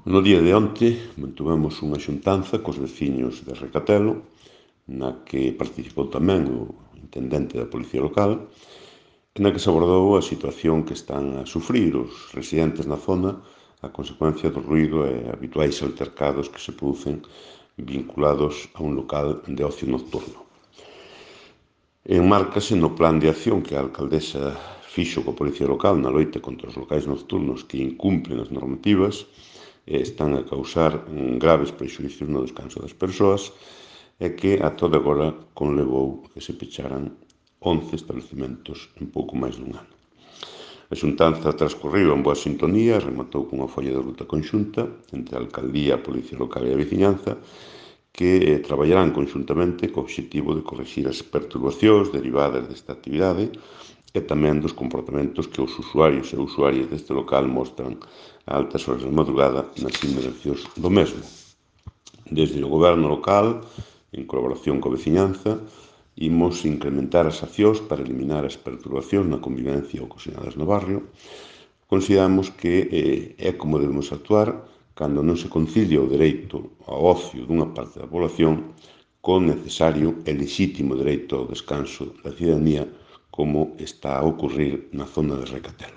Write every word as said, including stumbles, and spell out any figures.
No día de onte mantuvemos unha xuntanza cos veciños de Recatelo, na que participou tamén o intendente da Policía Local, na que se abordou a situación que están a sufrir os residentes na zona a consecuencia do ruído e habituais altercados que se producen vinculados a un local de ocio nocturno. Enmárcase no plan de acción que a alcaldesa fixo coa Policía Local na loita contra os locais nocturnos que incumplen as normativas e están a causar graves prexuízos no descanso das persoas e que a toda agora conlevou que se pecharan once establecementos en pouco máis dun ano. A xuntanza transcorriu en boa sintonía e rematou cunha folla de ruta conxunta entre a alcaldía, a Policía Local e a veciñanza que eh, traballarán conxuntamente co obxectivo de corrixir as perturbacións derivadas desta actividade e tamén dos comportamentos que os usuarios e usuarias deste local mostran a altas horas da madrugada nas inmediacións do mesmo. Desde o goberno local, en colaboración coa veciñanza, imos incrementar as accións para eliminar as perturbacións na convivencia ocasionadas no barrio. Consideramos que eh, é como debemos actuar cando non se concilia o dereito ao ocio dunha parte da población co necesario e lexítimo dereito ao descanso da cidadanía como está a ocurrir na zona de Recatelo.